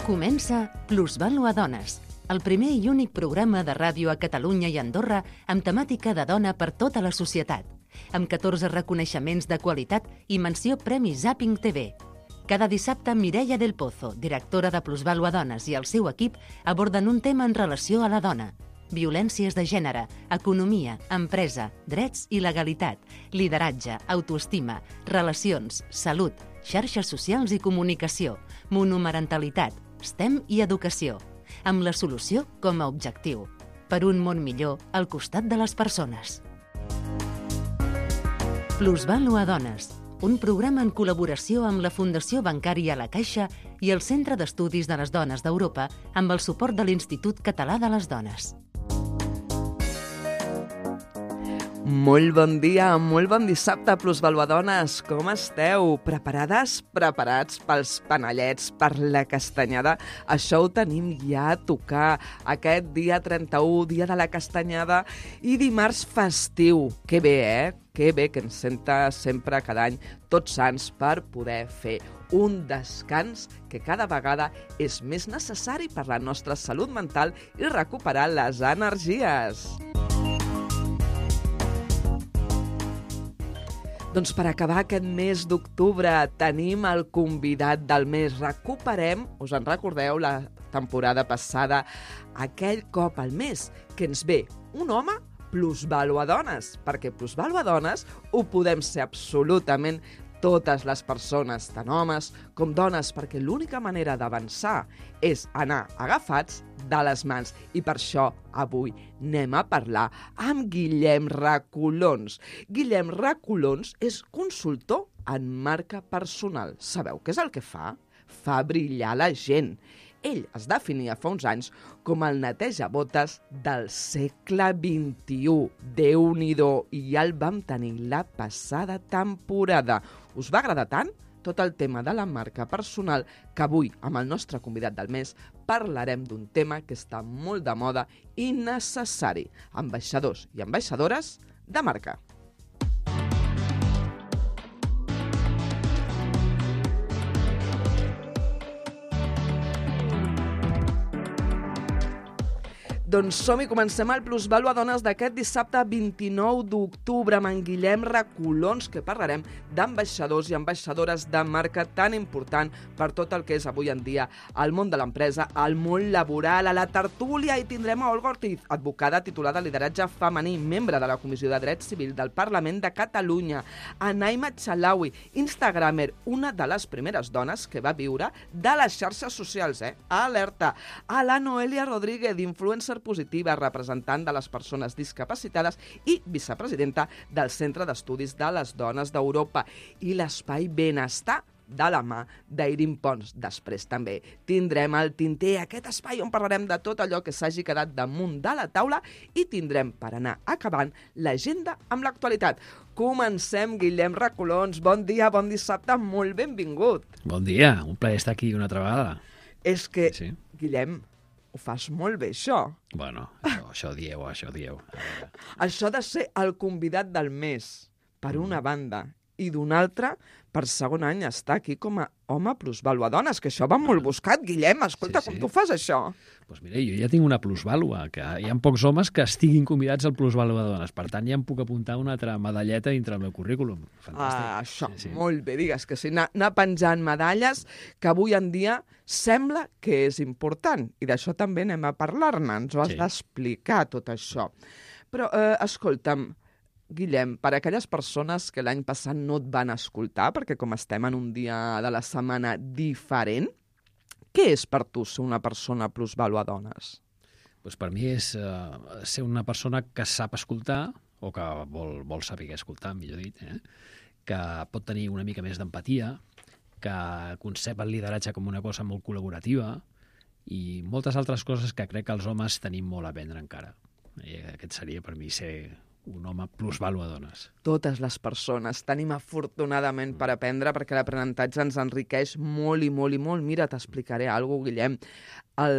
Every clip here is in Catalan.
Comença Plusvàlua Dones, el primer i únic programa de ràdio a Catalunya i Andorra amb temàtica de dona per tota la societat, amb 14 reconeixements de qualitat i menció Premi Zapping TV. Cada dissabte, Mireia del Pozo, directora de Plusvàlua Dones, i el seu equip aborden un tema en relació a la dona. Violències de gènere, economia, empresa, drets i legalitat, lideratge, autoestima, relacions, salut, xarxes socials i comunicació, monomarentalitat, STEM i educació, amb la solució com a objectiu. Per un món millor al costat de les persones. Plusvàlua Dones, un programa en col·laboració amb la Fundació Bancària La Caixa i el Centre d'Estudis de les Dones d'Europa amb el suport de l'Institut Català de les Dones. Molt bon dia, molt bon dissabte, plusvaluadones. Com esteu? Preparades? Preparats pels panellets, per la castanyada? Això ho tenim ja a tocar. Aquest dia 31, dia de la castanyada i dimarts festiu. Que bé, Que bé que ens senta sempre cada any Tots Sants per poder fer un descans que cada vegada és més necessari per la nostra salut mental i recuperar les energies. Doncs per acabar aquest mes d'octubre tenim el convidat del mes. Recuperem, us en recordeu, la temporada passada, aquell cop al mes que ens ve un home plusvàlua dones, perquè plusvàlua dones ho podem ser absolutament totes les persones, tant homes com dones, perquè l'única manera d'avançar és anar agafats de les mans. I per això avui anem a parlar amb Guillem Recolons. Guillem Recolons és consultor en marca personal. Sabeu què és el que fa? Fa brillar la gent. Ell es definia fa uns anys com el netejabotes del segle XXI. Déu-n'hi-do, i ja el vam tenir la passada temporada. Us va agradar tant tot el tema de la marca personal que avui, amb el nostre convidat del mes, parlarem d'un tema que està molt de moda i necessari. Ambaixadors i ambaixadores de marca. Doncs som i comencem el Plusvàlua Dones d'aquest dissabte 29 d'octubre amb en Guillem Recolons, que parlarem d'ambaixadors i ambaixadores de marca tan important per tot el que és avui en dia el món de l'empresa, el món laboral. A la tertúlia hi tindrem a Olga Ortiz, advocada titulada Lideratge Femení, membre de la Comissió de Drets Civil del Parlament de Catalunya, a Naima Chalawi, instagramer, una de les primeres dones que va viure de les xarxes socials, alerta, a la Noelia Rodríguez, influencer positiva, representant de les persones discapacitades i vicepresidenta del Centre d'Estudis de les Dones d'Europa, i l'Espai Benestar de la mà d'Eirin Pons. Després també tindrem el Tinter, aquest espai on parlarem de tot allò que s'hagi quedat damunt de la taula, i tindrem, per anar acabant, l'agenda amb l'actualitat. Comencem, Guillem Recolons. Bon dia, bon dissabte, molt benvingut. Bon dia, un plaer estar aquí una altra vegada. És que, sí. Guillem, ho fas molt bé, això. Bueno, això dieu. Això de ser el convidat del mes, per una banda, i d'una altra, per segon any, estar aquí com a home plusvàlua dones, que això va molt buscat, Guillem. Escolta, sí. Com tu fas això? Doncs mira, jo ja tinc una plusvàlua, que hi ha pocs homes que estiguin convidats al plusvàlua dones. Per tant, ja em puc apuntar una altra medalleta dintre el meu currículum. Fantàstic. Això, sí. Molt bé, digues que sí. Anar penjant medalles, que avui en dia sembla que és important. I d'això també anem a parlar-ne. Ens ho has d'explicar, tot això. Però, escolta'm, Guillem, per a aquelles persones que l'any passat no et van escoltar, perquè com estem en un dia de la setmana diferent, què és per tu ser una persona plusvàlua dones? Pues per mi és ser una persona que sap escoltar, o que vol saber escoltar, millor dit, que pot tenir una mica més d'empatia, que concep el lideratge com una cosa molt col·laborativa i moltes altres coses que crec que els homes tenim molt a aprendre encara. I aquest seria per mi ser un home plusvàlua dones. Totes les persones tenim afortunadament per aprendre, perquè l'aprenentatge ens enriqueix molt i molt i molt. Mira, t'explicaré alguna cosa, Guillem. El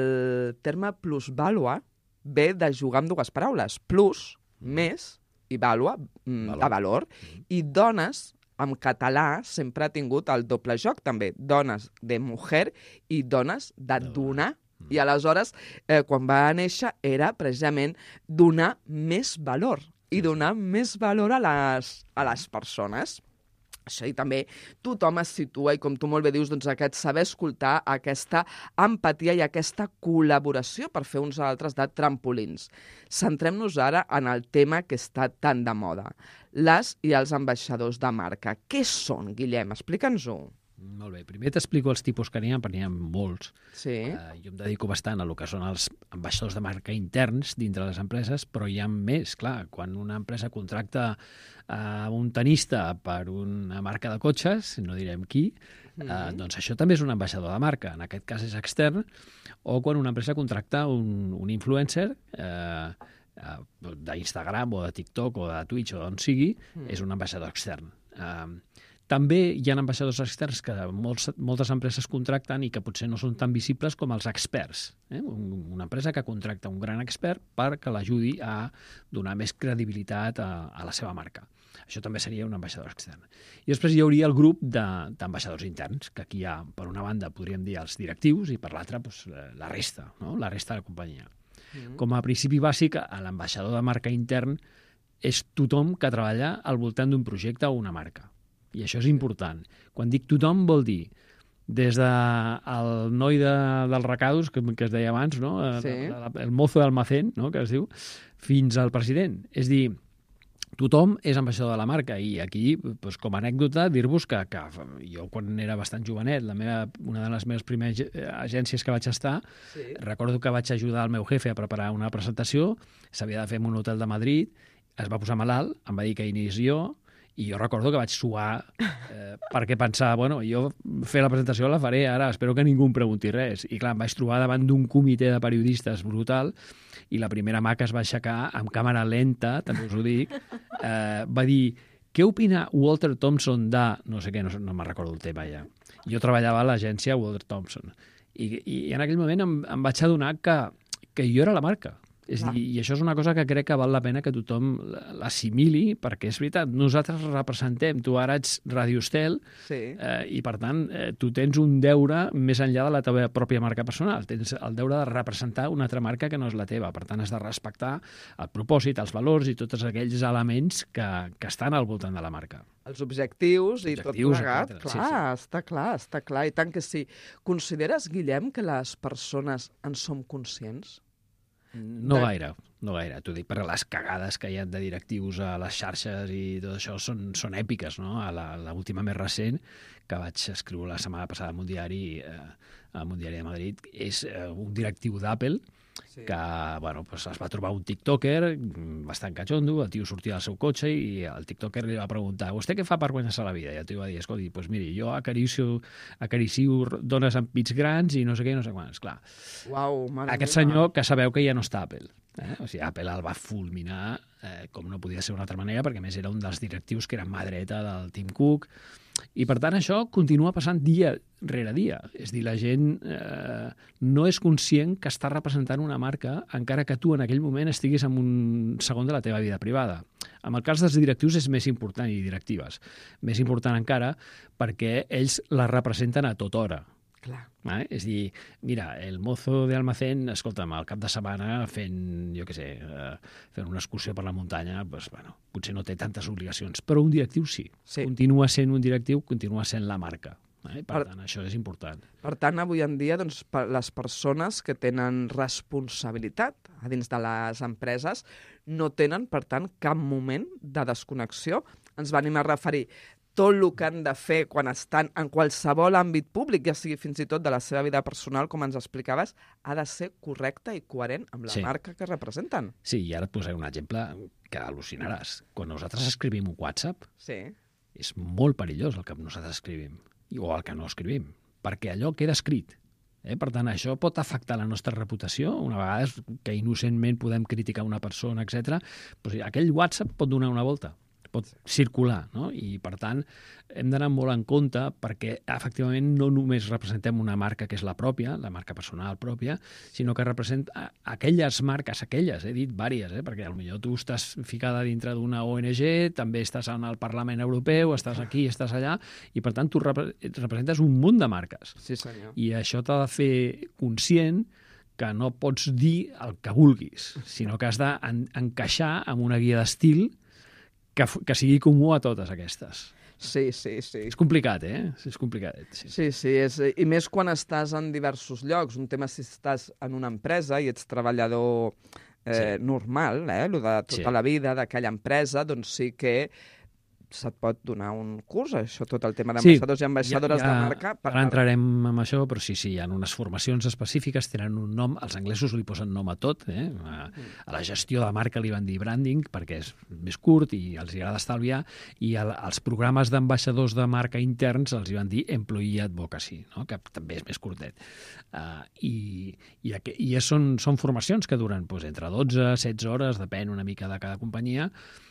terme plusvàlua ve de jugar amb dues paraules. Plus, més, i vàlua, de valor. I dones en català sempre ha tingut el doble joc, també, dones de mujer i dones de donar. I aleshores, quan va néixer, era precisament donar més valor i donar més valor a les persones. Això, i també tothom es situa, i com tu molt bé dius, doncs aquest saber escoltar, aquesta empatia i aquesta col·laboració per fer uns altres de trampolins. Centrem-nos ara en el tema que està tan de moda, les i els ambaixadors de marca. Què són, Guillem? Explica'ns-ho. Molt bé. Primer t'explico els tipus que n'hi ha, perquè n'hi ha molts. Sí. Jo em dedico bastant a lo que són els ambaixadors de marca interns dintre les empreses, però hi ha més, clar. Quan una empresa contracta un tenista per una marca de cotxes, no direm qui, doncs això també és un ambaixador de marca. En aquest cas és extern. O quan una empresa contracta un influencer d'Instagram o de TikTok o de Twitch o d'on sigui, és un ambaixador extern. També hi ha ambaixadors externs que moltes empreses contracten i que potser no són tan visibles com els experts. Una empresa que contracta un gran expert perquè l'ajudi a donar més credibilitat a la seva marca. Això també seria un ambaixador extern. I després hi hauria el grup d'ambaixadors interns, que aquí hi ha, per una banda, podríem dir els directius i per l'altra doncs, la resta, no? La resta de la companyia. Com a principi bàsic, l'ambaixador de marca intern és tothom que treballa al voltant d'un projecte o una marca. I això és important. Quan dic tothom vol dir des del noi dels recados, que es deia abans, no? Sí. El mozo d'almacén, no? Que es diu, fins al president. És dir, tothom és ambaixador de la marca i aquí, doncs, com a anècdota, dir-vos que jo quan era bastant jovenet, una de les meves primeres agències que vaig estar, recordo que vaig ajudar el meu jefe a preparar una presentació, s'havia de fer en un hotel de Madrid, es va posar malalt, em va dir que inici jo, i jo recordo que vaig suar perquè pensava, bueno, jo fer la presentació la faré ara, espero que ningú em pregunti res. I clar, em vaig trobar davant d'un comitè de periodistes brutal i la primera mà que es va aixecar amb càmera lenta, també us ho dic, va dir, què opina Walter Thompson de... no sé què, no me'n recordo el tema ja. Jo treballava a l'agència Walter Thompson i en aquell moment em vaig adonar que jo era la marca. És dir, i això és una cosa que crec que val la pena que tothom l'assimili, perquè és veritat, nosaltres representem, tu ara ets Radio Estel, i per tant tu tens un deure més enllà de la teva pròpia marca personal, tens el deure de representar una altra marca que no és la teva, per tant has de respectar el propòsit, els valors i tots aquells elements que estan al voltant de la marca. Els objectius i tot plegat, clar, sí. Està clar, i tant que sí. Consideres, Guillem, que les persones en som conscients? No gaire. T'ho dic perquè les cagades que hi ha de directius a les xarxes i tot això són èpiques, no? A l'última més recent, que vaig escriure la setmana passada en un diari de Madrid, és un directiu d'Apple que bueno, pues es va trobar un tiktoker bastant catxondo, el tio sortia del seu cotxe i el tiktoker li va preguntar «Vostè què fa per guanyar-se la vida?» I el tio va dir «Escolti, pues miri, jo acaricio dones amb pits grans i no sé què, no sé quants». Clar, aquest senyor que sabeu que ja no està a Apple. O sigui, Apple el va fulminar com no podia ser d'una altra manera, perquè a més era un dels directius que era mà dreta del Tim Cook. I per tant això continua passant dia rere dia. És dir, la gent no és conscient que està representant una marca encara que tu en aquell moment estiguis en un segon de la teva vida privada. En el cas dels directius és més important, i directives, més important encara perquè ells la representen a tota hora. Clar. És dir, mira, el mozo de almacén, escolta'm, al cap de setmana fent, jo què sé, fent una excursió per la muntanya, doncs, bueno, potser no té tantes obligacions, però un directiu sí. Continua sent un directiu, continua sent la marca. Per tant, això és important. Per tant, avui en dia, doncs, les persones que tenen responsabilitat a dins de les empreses no tenen, per tant, cap moment de desconnexió. Ens venim a referir tot el que han de fer quan estan en qualsevol àmbit públic, ja sigui fins i tot de la seva vida personal, com ens explicaves, ha de ser correcte i coherent amb la marca que representen. Sí, i ara et posaré un exemple que al·lucinaràs. Quan nosaltres escrivim un WhatsApp, és molt perillós el que nosaltres escrivim, o el que no escrivim, perquè allò queda escrit. Per tant, això pot afectar la nostra reputació. Una vegada que innocentment podem criticar una persona, etc. Però aquell WhatsApp pot donar una volta. pot circular, no? I, per tant, hem d'anar molt en compte perquè, efectivament, no només representem una marca que és la pròpia, la marca personal pròpia, sinó que representa aquelles marques, he dit vàries, perquè potser tu estàs ficada dintre d'una ONG, també estàs en el Parlament Europeu, estàs aquí, estàs allà, i, per tant, tu representes un munt de marques. Sí, senyor. I això t'ha de fer conscient que no pots dir el que vulguis, sinó que has d'encaixar en una guia d'estil que sigui comú a totes aquestes. Sí. És complicat, És complicat. Sí, i més quan estàs en diversos llocs. Un tema si estàs en una empresa i ets treballador normal, lo de tota la vida d'aquella empresa, doncs sí que se't pot donar un curs, això, tot el tema d'ambaixadors i ambaixadores de marca. Ara entrarem en això, però sí, hi ha unes formacions específiques, tenen un nom, els anglesos li posen nom a tot, a la gestió de marca li van dir branding, perquè és més curt i els agrada estalviar, i als programes d'ambaixadors de marca interns els van dir employee advocacy, no? Que també és més curtet. I són formacions que duren entre 12 i 16 hores, depèn una mica de cada companyia,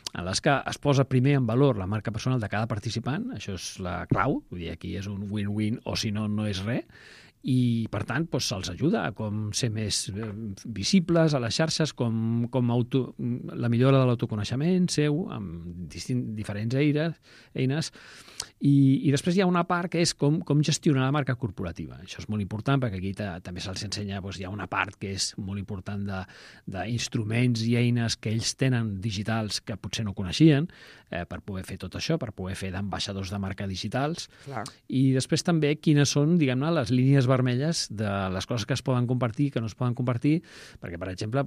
en les que es posa primer en valor la marca personal de cada participant, això és la clau, vull dir, aquí és un win-win o si no, no és res, i, per tant, se'ls ajuda a com ser més visibles a les xarxes, com la millora de l'autoconeixement seu, amb diferents eines, i després hi ha una part que és com gestionar la marca corporativa. Això és molt important, perquè aquí també se'ls ensenya, hi ha una part que és molt important d'instruments i eines que ells tenen digitals que potser no coneixien, per poder fer tot això, per poder fer d'ambaixadors de marca digitals. Clar. I després també quines són, diguem-ne, les línies vermelles de les coses que es poden compartir, que no es poden compartir, perquè, per exemple,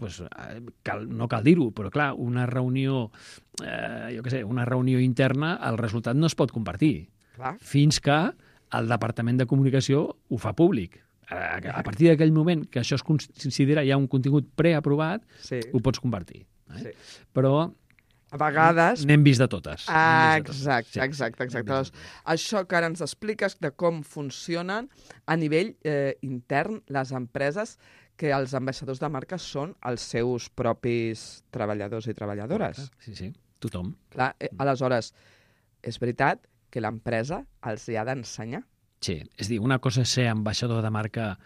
no cal dir-ho, però clar, una reunió una reunió interna, el resultat no es pot compartir. Clar. Fins que el Departament de Comunicació ho fa públic. A partir d'aquell moment que això es considera ja un contingut preaprovat, ho pots compartir. Sí. Però a vegades n'hem vist de totes. Exacte. Doncs, això que ara ens expliques de com funcionen a nivell intern les empreses, que els ambaixadors de marca són els seus propis treballadors i treballadores. Sí, tothom. Clar, aleshores, és veritat que l'empresa els hi ha d'ensenyar. Sí, és dir, una cosa és ser ambaixador de marca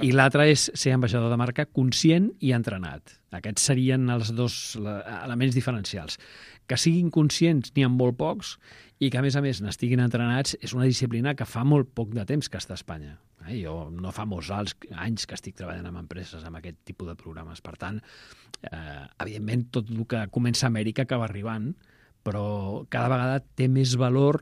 i l'altra és ser ambaixador de marca conscient i entrenat. Aquests serien els dos elements diferencials. Que siguin conscients n'hi ha molt pocs i que, a més n'estiguin entrenats és una disciplina que fa molt poc de temps que està a Espanya. Jo no fa molts anys que estic treballant amb empreses amb aquest tipus de programes. Per tant, evidentment, tot el que comença a Amèrica acaba arribant, però cada vegada té més valor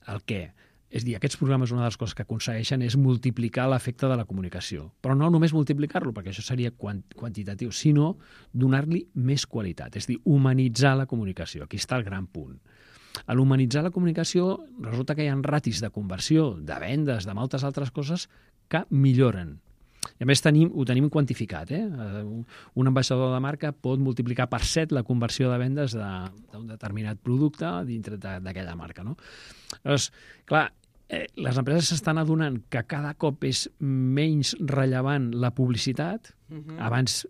el què. És a dir, aquests programes, una de les coses que aconsegueixen és multiplicar l'efecte de la comunicació. Però no només multiplicar-lo, perquè això seria quantitatiu, sinó donar-li més qualitat. És a dir, humanitzar la comunicació. Aquí està el gran punt. A l'humanitzar la comunicació resulta que hi ha ratis de conversió, de vendes, de moltes altres coses que milloren. I a més ho tenim quantificat. Un ambaixador de marca pot multiplicar per 7 la conversió de vendes d'un determinat producte dintre d'aquella marca. No? Llavors, clar, les empreses s'estan adonant que cada cop és menys rellevant la publicitat. Abans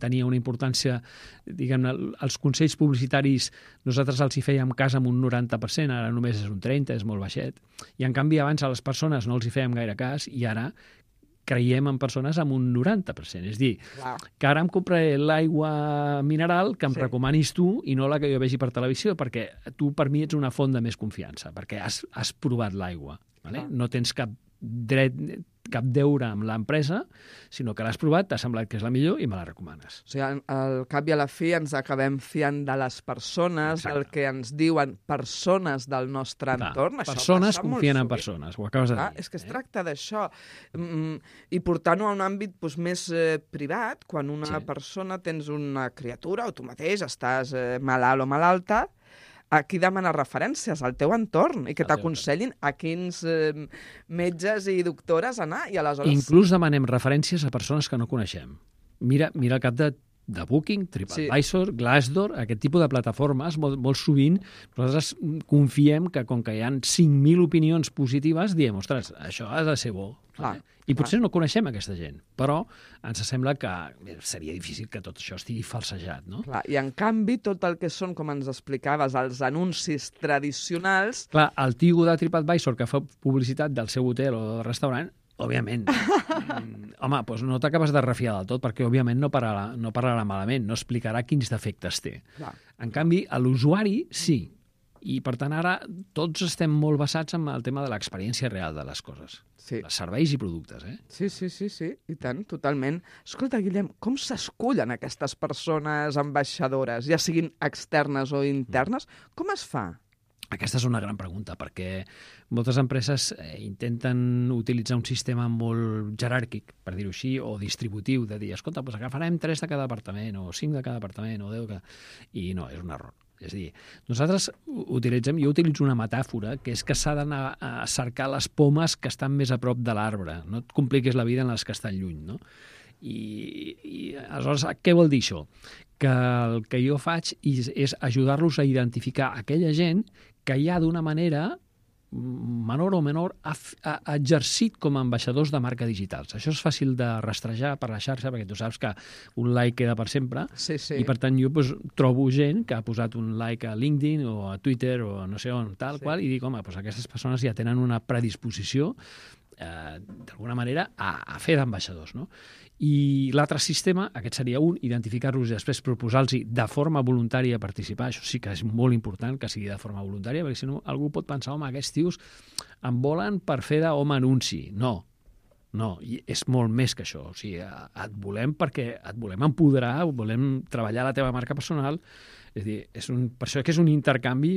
tenia una importància, diguem-ne, els consells publicitaris nosaltres els hi fèiem cas amb un 90%, ara només és un 30%, és molt baixet. I en canvi abans a les persones no els hi fèiem gaire cas i ara creiem en persones amb un 90%. És dir, que ara em compraré l'aigua mineral que em recomanis tu i no la que jo vegi per televisió, perquè tu per mi ets una font de més confiança, perquè has provat l'aigua. No tens cap deure amb l'empresa, sinó que l'has provat, t'ha semblat que és la millor i me la recomanes. O sigui, al cap i a la fi ens acabem fiant de les persones, del que ens diuen persones del nostre entorn. Persones confien en persones, ho acabes de dir. És que es tracta d'això. I portant-ho a un àmbit més privat, quan una persona tens una criatura o tu mateix estàs malalt o malalta, a qui demanes referències? Al teu entorn, i que t'aconsellin a quins metges i doctores anar. I aleshores... Inclús demanem referències a persones que no coneixem. Mira el cap de de Booking, TripAdvisor, Glassdoor, aquest tipus de plataformes, molt sovint nosaltres confiem que com que hi ha 5.000 opinions positives, diem, ostres, això ha de ser bo. I potser no coneixem aquesta gent, però ens sembla que seria difícil que tot això estigui falsejat, no? Clar, i en canvi tot el que són, com ens explicaves, els anuncis tradicionals... Clar, el tigo de TripAdvisor que fa publicitat del seu hotel o del restaurant, òbviament, home, doncs no t'acabes de refiar del tot, perquè òbviament no parlarà malament, no explicarà quins defectes té. Clar. En canvi, a l'usuari sí. I, per tant, ara tots estem molt basats en el tema de l'experiència real de les coses. Sí. Els serveis i productes, eh? Sí, i tant, totalment. Escolta, Guillem, com s'escullen aquestes persones ambaixadores, ja siguin externes o internes? Com es fa? Aquesta és una gran pregunta, perquè moltes empreses intenten utilitzar un sistema molt jeràrquic, per dir-ho així, o distributiu, de dir, escolta, doncs agafarem 3 de cada departament, o 5 de cada departament, o 10 de cada... I no, és un error. És a dir, nosaltres jo utilitzo una metàfora, que és que s'ha d'anar a cercar les pomes que estan més a prop de l'arbre. No et compliquis la vida en les que estan lluny, no? I aleshores, què vol dir això? Que el que jo faig és ajudar-los a identificar aquella gent que ja d'una manera menor o menor ha exercit com a ambaixadors de marca digitals. Això és fàcil de rastrejar per la xarxa, perquè tu saps que un like queda per sempre, sí. I per tant jo trobo gent que ha posat un like a LinkedIn o a Twitter o no sé on, qual, i dic, home, aquestes persones ja tenen una predisposició d'alguna manera a fer d'ambaixadors, no? I l'altre sistema, aquest seria un, identificar-los i després proposar-los de forma voluntària participar. Això sí que és molt important que sigui de forma voluntària, perquè si no algú pot pensar, home, aquests tios em volen per fer d'home anunci. No, i és molt més que això. O sigui, et volem perquè et volem empoderar, volem treballar la teva marca personal. És a dir, per això que és un intercanvi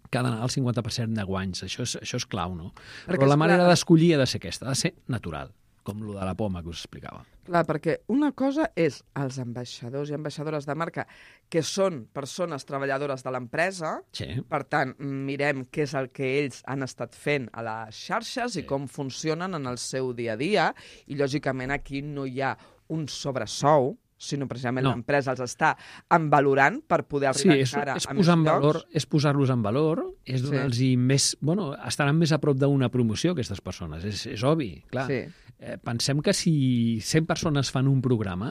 que ha d'anar al 50% de guanys. Això és clau, no? Però la manera d'escollir ha de ser aquesta, ha de ser natural, com lo de la poma que us explicava. Clar, perquè una cosa és els ambaixadors i ambaixadores de marca, que són persones treballadores de l'empresa, sí. Per tant, mirem què és el que ells han estat fent a les xarxes i com funcionen en el seu dia a dia, i lògicament aquí no hi ha un sobresou, sinó precisament l'empresa els està envalorant per poder arribar encara a més llocs. És posar-los en valor, és donar-los més... Bueno, estaran més a prop d'una promoció, aquestes persones, és obvi, clar. Sí. Pensem que si 100 persones fan un programa,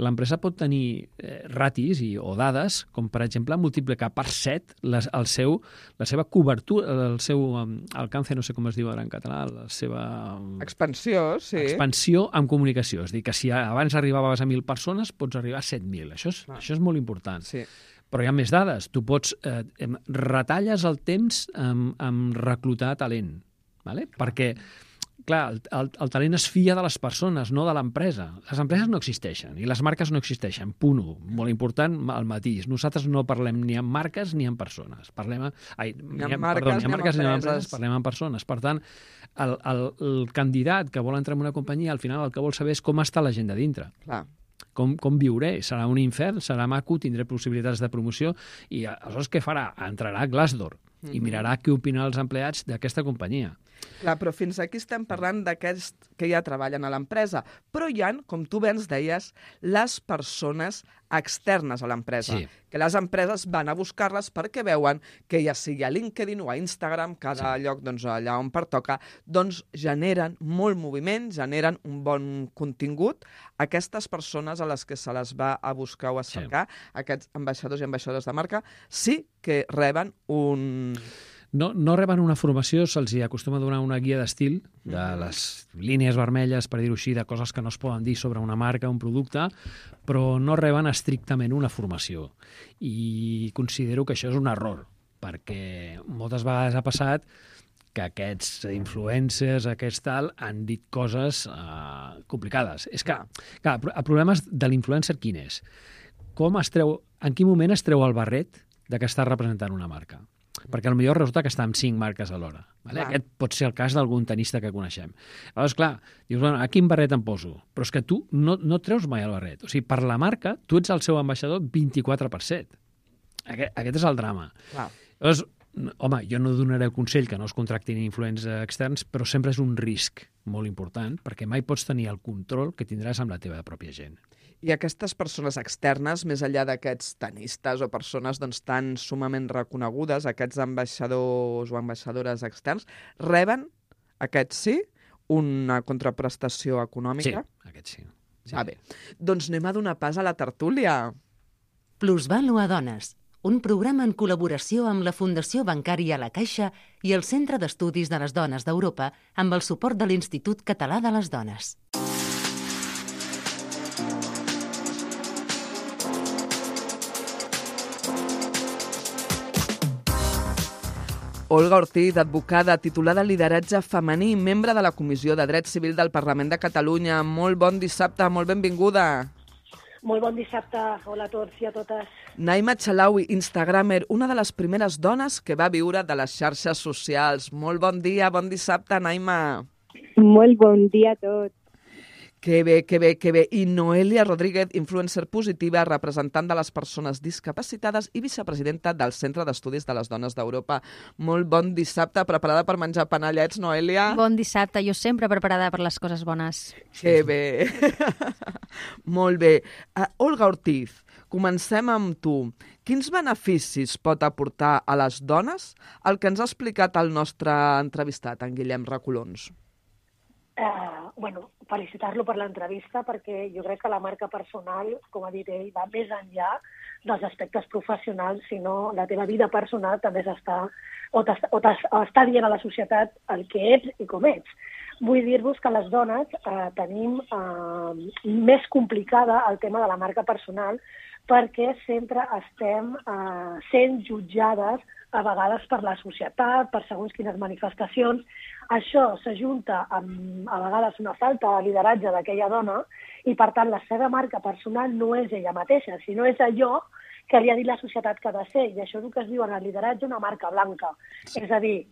l'empresa pot tenir ratis o dades, com per exemple multiplicar per 7 la seva cobertura, el seu alcance, no sé com es diu ara en català, la seva... Expansió, sí. Expansió amb comunicació. És a dir, que si abans arribaves a 1.000 persones, pots arribar a 7.000. Això és molt important. Sí. Però hi ha més dades. Tu pots... retalles el temps amb reclutar talent. ¿Vale? Perquè, clar, el talent es fia de les persones, no de l'empresa. Les empreses no existeixen i les marques no existeixen. Punt 1. Molt important el matís. Nosaltres no parlem ni amb marques ni amb persones. Ni amb marques ni amb empreses, parlem amb persones. Per tant, el candidat que vol entrar en una companyia, al final el que vol saber és com està la gent de dintre. Clar. Com viuré? Serà un infern? Serà maco? Tindré possibilitats de promoció? I aleshores què farà? Entrarà a Glassdoor i mirarà què opinen els empleats d'aquesta companyia. Clar, però fins aquí estem parlant d'aquests que ja treballen a l'empresa. Però hi ha, com tu bé ens deies, les persones externes a l'empresa. Sí. Que les empreses van a buscar-les perquè veuen que ja sigui a LinkedIn o a Instagram, cada lloc allà on pertoca, doncs generen molt moviment, generen un bon contingut. Aquestes persones a les que se les va a buscar o a cercar, aquests ambaixadors i ambaixadores de marca, sí que reben un... No reben una formació, se'ls acostuma a donar una guia d'estil, de les línies vermelles, per dir-ho així, de coses que no es poden dir sobre una marca, un producte, però no reben estrictament una formació. I considero que això és un error, perquè moltes vegades ha passat que aquests influencers, han dit coses complicades. És que, clar, el problema de l'influencer quin és? En quin moment es treu el barret de que està representant una marca? Perquè potser resulta que està amb 5 marques alhora. Vale? Aquest pot ser el cas d'algun tenista que coneixem. Aleshores, clar, dius, bueno, a quin barret em poso? Però és que tu no treus mai el barret. O sigui, per la marca, tu ets el seu ambaixador 24/7. Aquest és el drama. Clar. Llavors, home, jo no donaré el consell que no es contractin influents externs, però sempre és un risc molt important, perquè mai pots tenir el control que tindràs amb la teva pròpia gent. I aquestes persones externes, més enllà d'aquests tenistes o persones tan sumament reconegudes, aquests ambaixadors o ambaixadores externs, reben, aquests sí, una contraprestació econòmica? Sí, aquests sí. Bé, doncs anem a donar pas a la tertúlia. Plusvàlua Dones, un programa en col·laboració amb la Fundació Bancària La Caixa i el Centre d'Estudis de les Dones d'Europa amb el suport de l'Institut Català de les Dones. Olga Ortiz, advocada, titulada en lideratge femení i membre de la Comissió de Dret Civil del Parlament de Catalunya. Molt bon dissabte, molt benvinguda. Molt bon dissabte, hola a tots i a totes. Naima Chalaui, instagramer, una de les primeres dones que va viure de les xarxes socials. Molt bon dia, bon dissabte, Naima. Molt bon dia a tots. Que bé, que bé, que bé. I Noelia Rodríguez, influencer positiva, representant de les persones discapacitades i vicepresidenta del Centre d'Estudis de les Dones d'Europa. Molt bon dissabte, preparada per menjar panellets, Noelia? Bon dissabte, jo sempre preparada per les coses bones. Que bé. Molt bé. Olga Ortiz, comencem amb tu. Quins beneficis pot aportar a les dones el que ens ha explicat el nostre entrevistat, en Guillem Recolons? Felicitar-lo per l'entrevista perquè jo crec que la marca personal, com ha dit ell, va més enllà dels aspectes professionals, sinó la teva vida personal també està dient a la societat el que ets i com ets. Vull dir-vos que les dones tenim més complicada el tema de la marca personal perquè sempre estem sent jutjades a vegades per la societat, per segons quines manifestacions. Això s'ajunta amb, a vegades, una falta de lideratge d'aquella dona i, per tant, la seva marca personal no és ella mateixa, sinó és allò que li ha dit la societat que ha de ser. I això és el que es diu en el lideratge una marca blanca. Sí. És a dir,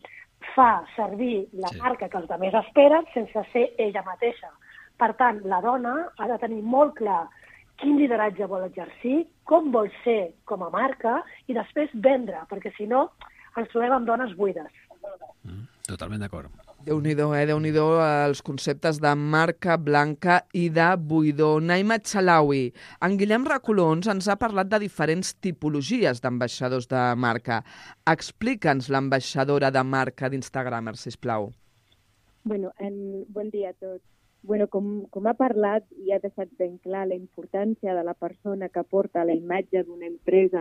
fa servir la marca que els altres esperen sense ser ella mateixa. Per tant, la dona ha de tenir molt clar quin lideratge vol exercir, com vol ser com a marca i després vendre, perquè si no ens trobem amb dones buides. Totalment d'acord. Déu-n'hi-do, Déu-n'hi-do els conceptes de marca blanca i de buidor. Naima Chalaui, en Guillem Recolons ens ha parlat de diferents tipologies d'ambaixadors de marca. Explica'ns l'ambaixadora de marca d'Instagramer, sisplau. Bon dia a tots. Com ha parlat i ha deixat ben clar la importància de la persona que porta la imatge d'una empresa,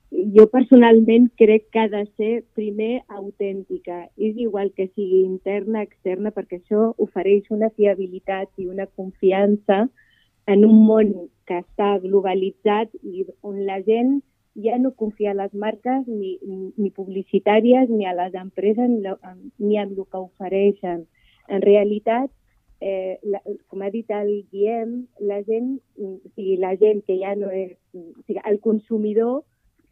jo personalment crec que ha de ser primer autèntica. És igual que sigui interna, externa, perquè això ofereix una fiabilitat i una confiança en un món que està globalitzat i on la gent ja no confia a les marques ni publicitàries ni a les empreses ni en el que ofereixen. En realitat, com ha dit el Guillem, la gent que ja no és... el consumidor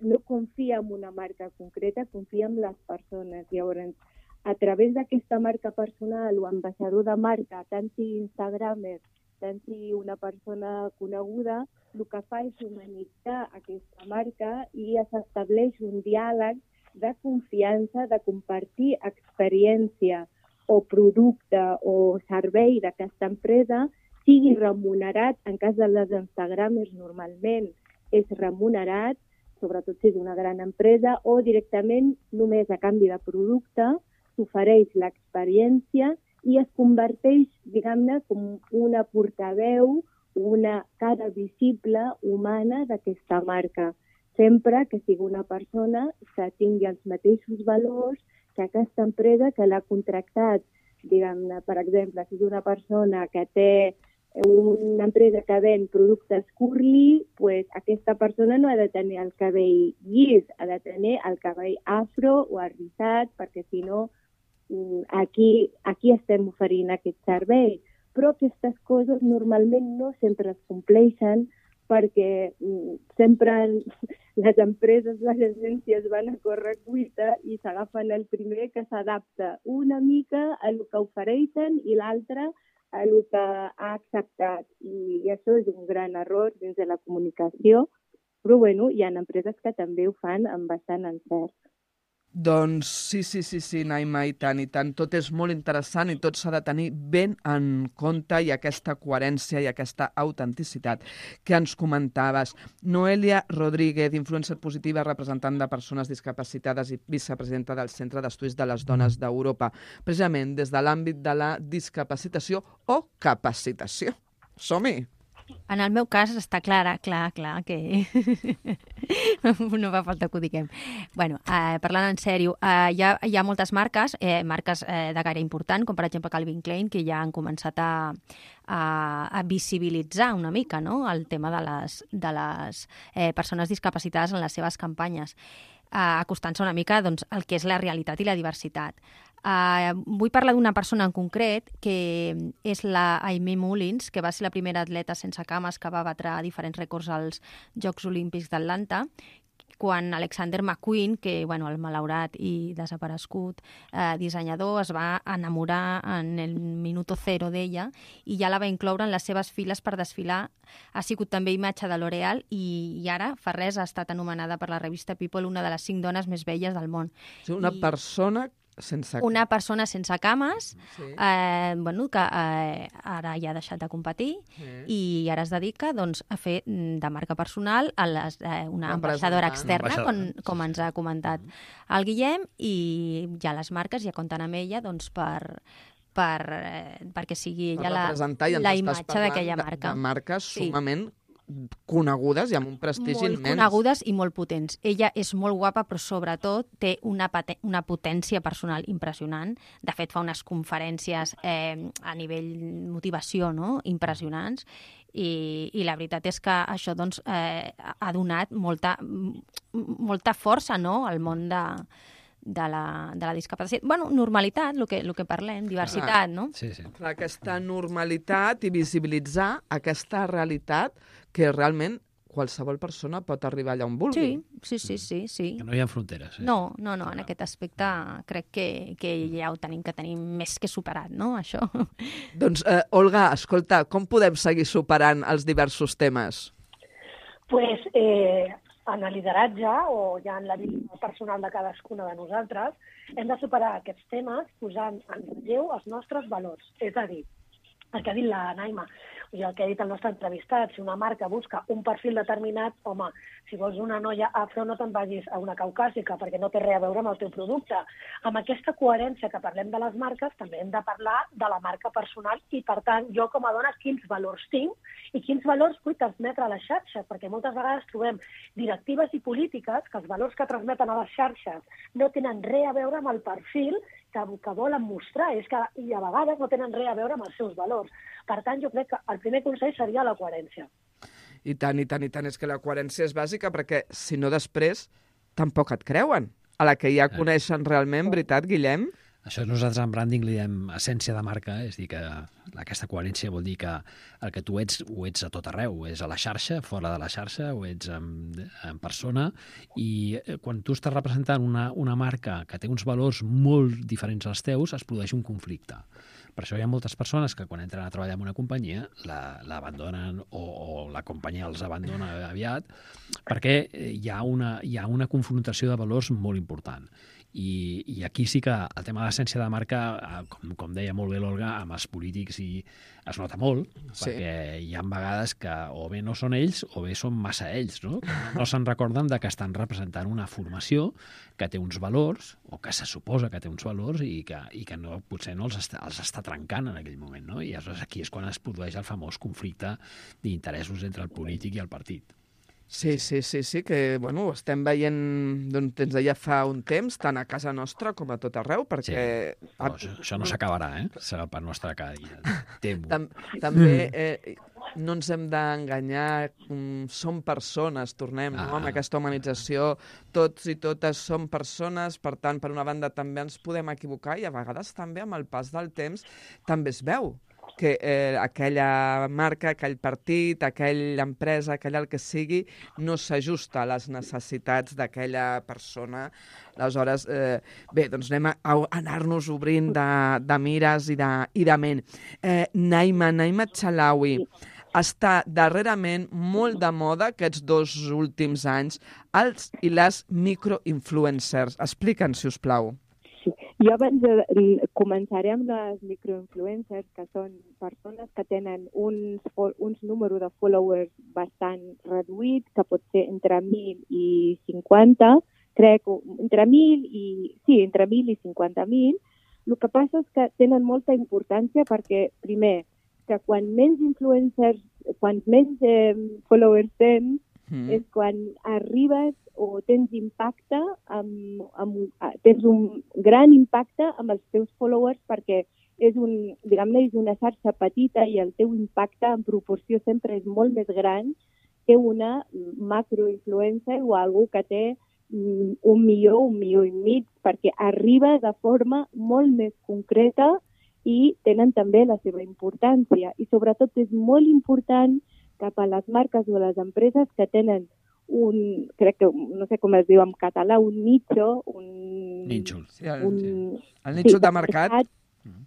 no confia en una marca concreta, confia en les persones. Llavors, a través d'aquesta marca personal o ambaixador de marca, tant sigui Instagramer, tant sigui una persona coneguda, el que fa és humanitzar aquesta marca i s'estableix un diàleg de confiança, de compartir experiència o producte o servei d'aquesta empresa, sigui remunerat. En cas de les Instagramers normalment és remunerat, sobretot si és una gran empresa, o directament només a canvi de producte s'ofereix l'experiència i es converteix, diguem-ne, com una portaveu, una cara visible, humana d'aquesta marca. Sempre que sigui una persona que tingui els mateixos valors que aquesta empresa que l'ha contractat. Diguem-ne, per exemple, si és una persona que té una empresa que ven productes curly, pues aquesta persona no ha de tenir el cabell llis, ha de tenir el cabell afro o arrissat, perquè si no, aquí estem oferint aquest servei. Però aquestes coses normalment no sempre es compleixen perquè sempre les empreses, les agències van a córrer cuita i s'agafen el primer que s'adapta una mica a el que ofereixen i l'altre a el que ha acceptat. I això és un gran error dins de la comunicació, però bueno, hi ha empreses que també ho fan amb bastant encert. Doncs sí, Naima, i tant. Tot és molt interessant i tot s'ha de tenir ben en compte i aquesta coherència i aquesta autenticitat que ens comentaves. Noelia Rodríguez, influencer positiva, representant de persones discapacitades i vicepresidenta del Centre d'Estudis de les Dones d'Europa, precisament des de l'àmbit de la discapacitació o capacitació. Som-hi! En el meu cas està clar que no fa falta que ho diguem. Bueno, parlant en sèrio, hi ha moltes marques de gaire important, com per exemple Calvin Klein, que ja han començat a visibilitzar una mica, no?, el tema de les persones discapacitades en les seves campanyes, acostant-se una mica, doncs, el que és la realitat i la diversitat. Vull parlar d'una persona en concret, que és la Aimee Mullins, que va ser la primera atleta sense cames que va batre diferents rècords als Jocs Olímpics d'Atlanta, quan Alexander McQueen, que el malaurat i desaparegut dissenyador, es va enamorar en el minuto cero d'ella i ja la va incloure en les seves files per desfilar. Ha sigut també imatge de L'Oréal i ara, fa res, ha estat anomenada per la revista People una de les 5 dones més belles del món. Una persona sense cames, sí. Que ara ja ha deixat de competir i ara es dedica, doncs, a fer de marca personal una ambaixadora externa, com ens ha comentat el Guillem, i ja les marques ja compten amb ella, doncs, perquè sigui ella la imatge d'aquella marca. De marques sumament conegudes i amb un prestigi immens. Molt conegudes i molt potents. Ella és molt guapa, però sobretot té una potència personal impressionant. De fet, fa unes conferències a nivell motivació, no?, impressionants, i la veritat és que això, doncs, ha donat molta força, no?, al món de la discapacitat. Normalitat, el que parlem, diversitat, no? Sí. Aquesta normalitat i visibilitzar aquesta realitat que realment qualsevol persona pot arribar allà on vulgui. Sí. Que no hi ha fronteres. No, en aquest aspecte crec que ja ho tenim més que superat, no?, això. Doncs, Olga, escolta, com podem seguir superant els diversos temes? Pues, en el lideratge o ja en la vida personal de cadascuna de nosaltres, hem de superar aquests temes posant en relleu els nostres valors. És a dir, el que ha dit la Naima, i el que ha dit el nostre entrevistat, si una marca busca un perfil determinat, home, si vols una noia afro no te'n vagis a una caucàsica perquè no té res a veure amb el teu producte. Amb aquesta coherència que parlem de les marques, també hem de parlar de la marca personal i, per tant, jo com a dona, quins valors tinc i quins valors vull transmetre a les xarxes, perquè moltes vegades trobem directives i polítiques que els valors que transmeten a les xarxes no tenen res a veure amb el perfil que volen mostrar, i a vegades no tenen res a veure amb els seus valors. Per tant, jo crec que el primer consell seria la coherència. I tant. És que la coherència és bàsica perquè, si no, després tampoc et creuen. A la que ja coneixen realment, veritat, Guillem? Això nosaltres en branding li diem essència de marca, és dir, que aquesta coherència vol dir que el que tu ets, ho ets a tot arreu, ho ets a la xarxa, fora de la xarxa, ho ets en persona, i quan tu estàs representant una marca que té uns valors molt diferents als teus, es produeix un conflicte. Per això hi ha moltes persones que quan entren a treballar en una companyia l'abandonen o la companyia els abandona aviat perquè hi ha una confrontació de valors molt important. I aquí sí que el tema de l'essència de marca, com deia molt bé l'Olga, amb els polítics es nota molt, perquè hi ha vegades que o bé no són ells o bé són massa ells, no? No se'n recorden de que estan representant una formació que té uns valors, o que se suposa que té uns valors, i que no, potser no els està trencant en aquell moment, no? I aleshores aquí és quan es produeix el famós conflicte d'interessos entre el polític i el partit. Sí, que ho estem veient, doncs ens deia fa un temps, tant a casa nostra com a tot arreu, perquè... Sí. Això no s'acabarà, serà per nostra cada dia. També no ens hem d'enganyar, som persones, tornem amb aquesta humanització, tots i totes som persones, per tant, per una banda també ens podem equivocar i a vegades també amb el pas del temps també es veu que aquella marca, aquell partit, aquella empresa, aquell el que sigui, no s'ajusta a les necessitats d'aquella persona. Aleshores, doncs anem a anar-nos obrint de mires i de ment. Naima Txalawi, està darrerament molt de moda aquests 2 últims anys, els i les microinfluencers. Explica'ns, si us plau. Sí. Jo abans començaré amb les microinfluencers, que són persones que tenen uns números de followers bastant reduïts, que pot ser entre 1.000 i 50, crec, entre 1.000 i 50.000. El que passa és que tenen molta importància perquè, primer, que quan menys followers tens, és quan arribes o tens impacte, tens un gran impacte amb els teus followers perquè és una xarxa petita i el teu impacte en proporció sempre és molt més gran que una macroinfluencer o algú que té 1 milió, 1,5 milions, perquè arriba de forma molt més concreta i tenen també la seva importància. I sobretot és molt important cap a les marques o les empreses que tenen crec que, no sé com es diu en català, un nicho, Nínxol. Sí, el nínxol de mercat.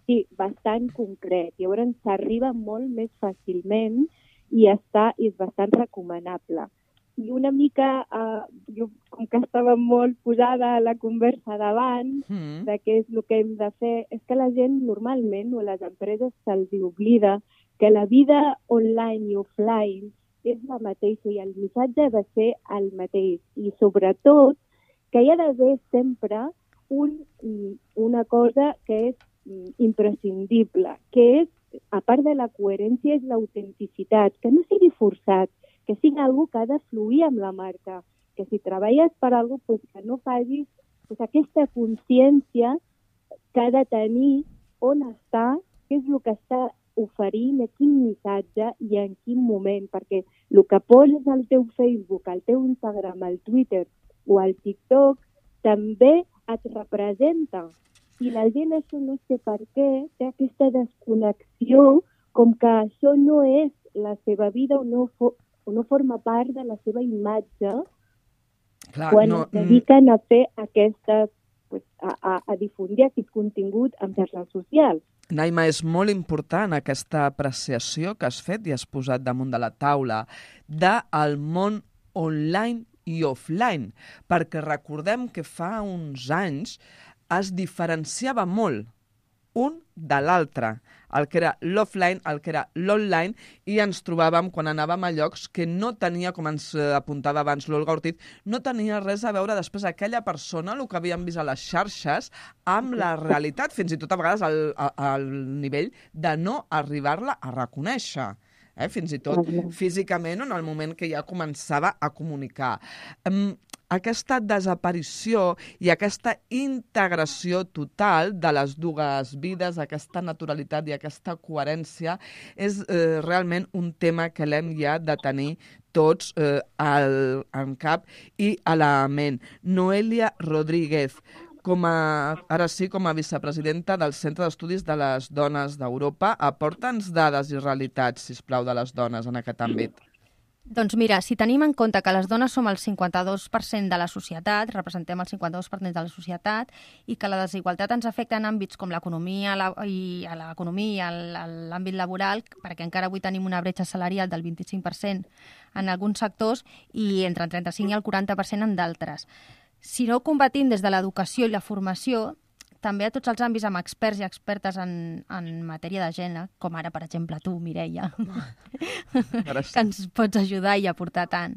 Sí, bastant concret. Llavors s'arriba molt més fàcilment i és bastant recomanable. I una mica, jo, com que estava molt posada a la conversa d'abans, de què és el que hem de fer, és que la gent normalment, o a les empreses, se'ls oblida que la vida online i offline és la mateixa i el missatge ha de ser el mateix. I sobretot que hi ha d'haver sempre una cosa que és imprescindible, que és, a part de la coherència, és l'autenticitat, que no sigui forçat, que sigui algú que ha de fluir amb la marca, que si treballes per algú, pues, que no facis aquesta consciència que ha de tenir on està, què és el que està oferint, a quin missatge i en quin moment, perquè el que poses al teu Facebook, al teu Instagram, al Twitter o al TikTok també et representa. I la gent, això no sé per què, té aquesta desconnexió com que això no és la seva vida o no forma part de la seva imatge. Clar, quan es dediquen a fer aquestes, a difundir aquest contingut en xarxes socials. Naima, és molt important aquesta apreciació que has fet i has posat damunt de la taula del món online i offline, perquè recordem que fa uns anys es diferenciava molt un de l'altre, el que era l'offline, el que era l'online, i ens trobàvem quan anàvem a llocs que no tenia, com ens apuntava abans l'Olga Ortiz, no tenia res a veure després aquella persona, el que havíem vist a les xarxes, amb la realitat, fins i tot a vegades al nivell de no arribar-la a reconèixer. Fins i tot físicament, en el moment que ja començava a comunicar. Aquesta desaparició i aquesta integració total de les dues vides, aquesta naturalitat i aquesta coherència és realment un tema que l'hem ja de tenir tots en cap i a la ment. Noelia Rodríguez, com a vicepresidenta del Centre d'Estudis de les Dones d'Europa, aporta'ns dades i realitats, sisplau, de les dones en aquest àmbit. Doncs mira, si tenim en compte que les dones som el 52% de la societat, representem el 52% de la societat, i que la desigualtat ens afecta en àmbits com l'economia i l'àmbit laboral, perquè encara avui tenim una bretxa salarial del 25% en alguns sectors i entre el 35 i el 40% en d'altres. Si no ho combatim des de l'educació i la formació, també a tots els àmbits amb experts i expertes en matèria de gènere, com ara, per exemple, tu, Mireia, que ens pots ajudar i aportar tant.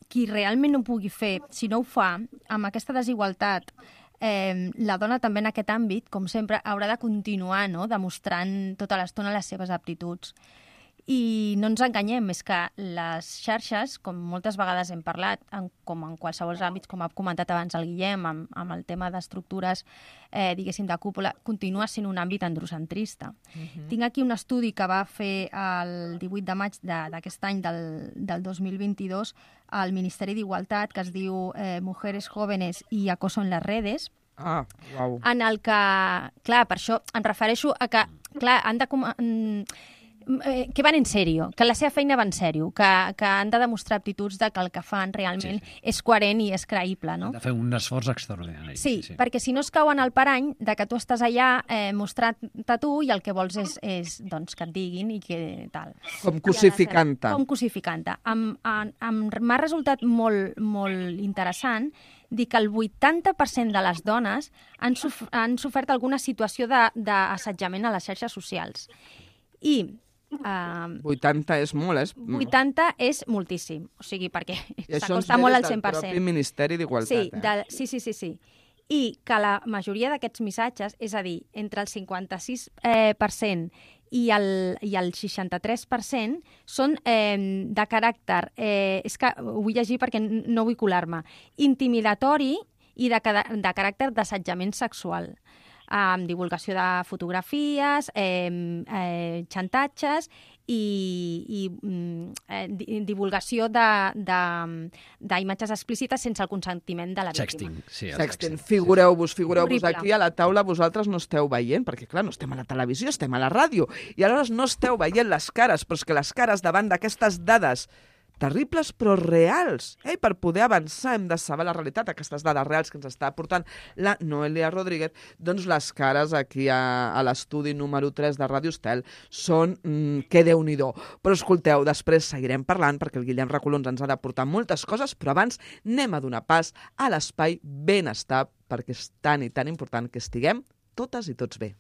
Qui realment no ho pugui fer, si no ho fa, amb aquesta desigualtat, la dona també en aquest àmbit, com sempre, haurà de continuar demostrant tota l'estona les seves aptituds. I no ens enganyem, és que les xarxes, com moltes vegades hem parlat, com en qualsevol àmbits, com ha comentat abans el Guillem, amb el tema d'estructures, diguéssim, de cúpula, continua sent un àmbit androcentrista. Tinc aquí un estudi que va fer el 18 de maig d'aquest any, del 2022, al Ministeri d'Igualtat, que es diu Mujeres Jóvenes y Acoso en las Redes, en el que, clar, per això em refereixo a que, clar, han de que van en sèrio, que la seva feina va en sèrio, que han de demostrar aptituds de que el que fan realment és coherent i és creïble, no? Han de fer un esforç extraordinari. Sí, perquè si no es cauen al parany de que tu estàs allà mostrant-te tu i el que vols és doncs, que et diguin i que tal. Com cosificant-te. Com cosificant-te. M'ha resultat molt, molt interessant dir que el 80% de les dones han sofert alguna situació d'assetjament a les xarxes socials. I 80 és molt, 80 és moltíssim, o sigui, perquè s'acosta molt al 100%. I això ens ve des del propi Ministeri d'Igualtat. Sí. I que la majoria d'aquests missatges, és a dir, entre el 56% i el 63% són de caràcter, és que ho vull llegir perquè no vull colar-me, intimidatori i de caràcter d'assetjament sexual, amb divulgació de fotografies, xantatges i divulgació d'imatges explícites sense el consentiment de la víctima. Sexting. Figureu-vos aquí a la taula, vosaltres no esteu veient, perquè clar, no estem a la televisió, estem a la ràdio, i aleshores no esteu veient les cares, però és que les cares davant d'aquestes dades terribles però reals. Per poder avançar hem de saber la realitat, aquestes dades reals que ens està aportant la Noelia Rodríguez. Doncs les cares aquí a l'estudi número 3 de Ràdio Estel són que Déu-n'hi-do. Però escolteu, després seguirem parlant perquè el Guillem Recolons ens ha d'aportar moltes coses, però abans anem a donar pas a l'espai benestar perquè és tan i tan important que estiguem totes i tots bé.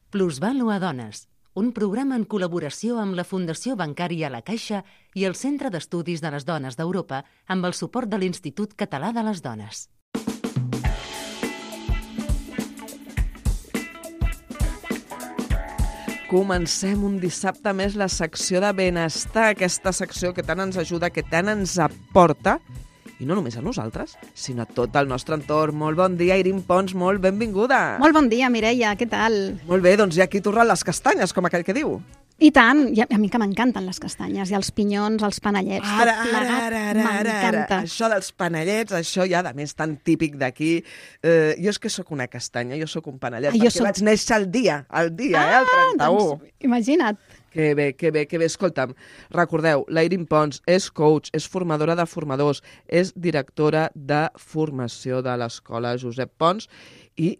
Plusvalua Dones, un programa en col·laboració amb la Fundació Bancària La Caixa i el Centre d'Estudis de les Dones d'Europa amb el suport de l'Institut Català de les Dones. Comencem un dissabte més la secció de benestar, aquesta secció que tant ens ajuda, que tant ens aporta, i no només a nosaltres, sinó a tot el nostre entorn. Molt bon dia, Irin Pons, molt benvinguda. Molt bon dia, Mireia, què tal? Molt bé, doncs ja aquí tornen les castanyes, com aquell que diu. I tant, i a mi que m'encanten les castanyes, i els pinyons, els panellets, tot plegat, m'encanta. Això dels panellets, això ja de més tan típic d'aquí. Jo és que sóc una castanya, jo sóc un panellet, perquè vaig néixer el dia, el 31. Doncs, imagina't. Que bé. Escolta'm, recordeu, la Irin Pons és coach, és formadora de formadors, és directora de formació de l'Escola Josep Pons i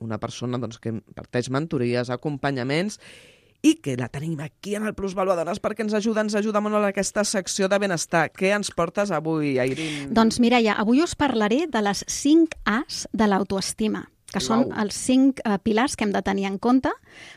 una persona que imparteix mentories, acompanyaments, i que la tenim aquí en el Plusvalua Dones perquè ens ajuda molt en aquesta secció de benestar. Què ens portes avui, Irin? Doncs, Mireia, avui us parlaré de les 5 A's de l'autoestima, que són els 5 pilars que hem de tenir en compte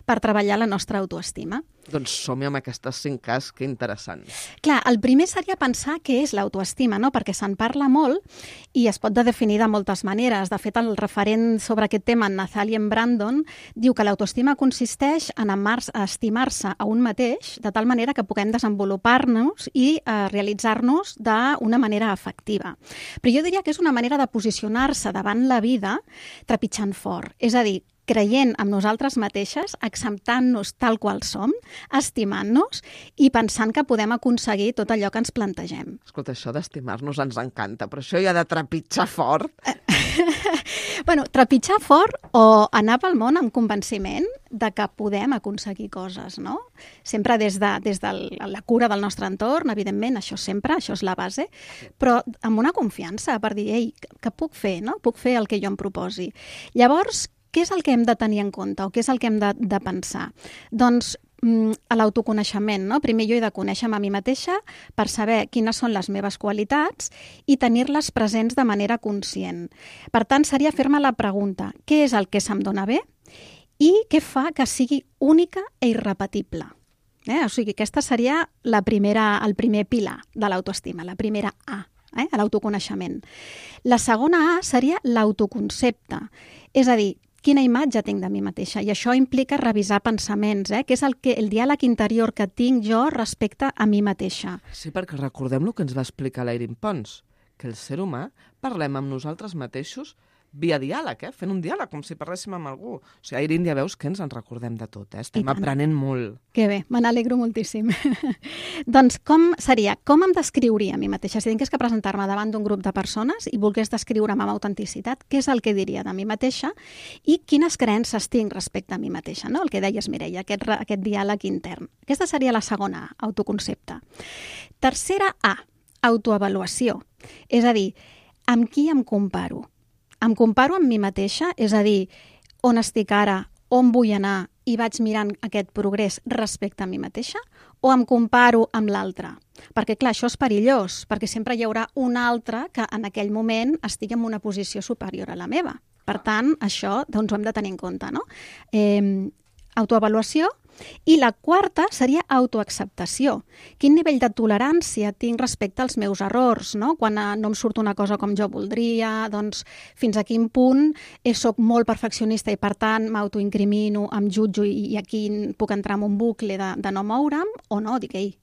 per treballar la nostra autoestima. Doncs som-hi amb aquestes 5 A's, que interessant. Clar, el primer seria pensar què és l'autoestima, no? Perquè se'n parla molt i es pot definir de moltes maneres. De fet, el referent sobre aquest tema, en Nathaniel Brandon, diu que l'autoestima consisteix en estimar-se a un mateix de tal manera que puguem desenvolupar-nos i realitzar-nos d'una manera efectiva. Però jo diria que és una manera de posicionar-se davant la vida trepitjant fort. És a dir, creient en nosaltres mateixes, acceptant-nos tal qual som, estimant-nos i pensant que podem aconseguir tot allò que ens plantegem. Escolta, això d'estimar-nos ens encanta, però això ja de trepitjar fort... Bueno, trepitjar fort o anar pel món amb convenciment de que podem aconseguir coses, no? Sempre des de la cura del nostre entorn, evidentment, això sempre, això és la base, però amb una confiança per dir, ei, què puc fer, no? Puc fer el que jo em proposi. Llavors, què és el que hem de tenir en compte o què és el que hem de pensar? Doncs a l'autoconeixement, no? Primer jo he de conèixer-me a mi mateixa per saber quines són les meves qualitats i tenir-les presents de manera conscient. Per tant, seria fer-me la pregunta, què és el que se'm dona bé i què fa que sigui única i irrepetible? O sigui, aquesta seria el primer pilar de l'autoestima, la primera A. A l'autoconeixement. La segona A seria l'autoconcepte, és a dir, quina imatge tinc de mi mateixa, i això implica revisar pensaments, que és el diàleg interior que tinc jo respecte a mi mateixa. Sí, perquè recordem el que ens va explicar l'Irin Pons, que el ser humà parlem amb nosaltres mateixos via diàleg, fent un diàleg, com si parléssim amb algú. O sigui, Airín, ja veus que ens en recordem de tot, estem aprenent molt. Que bé, me n'alegro moltíssim. Doncs com seria, com em descriuria a mi mateixa? Si tingués que presentar-me davant d'un grup de persones i volgués descriure'm amb autenticitat, què és el que diria de mi mateixa i quines creences tinc respecte a mi mateixa, no? El que deies, Mireia, aquest diàleg intern. Aquesta seria la segona A, autoconcepte. Tercera A, autoavaluació. És a dir, amb qui em comparo? Em comparo amb mi mateixa, és a dir, on estic ara, on vull anar i vaig mirant aquest progrés respecte a mi mateixa, o em comparo amb l'altre? Perquè, clar, això és perillós, perquè sempre hi haurà un altre que en aquell moment estigui en una posició superior a la meva. Per tant, això doncs, ho hem de tenir en compte, no? Autoavaluació. I la quarta seria autoacceptació. Quin nivell de tolerància tinc respecte als meus errors, no? Quan no em surt una cosa com jo voldria, doncs fins a quin punt soc molt perfeccionista i per tant m'autoincrimino, em jutjo i aquí puc entrar en un bucle de no moure'm o no, dic, ei,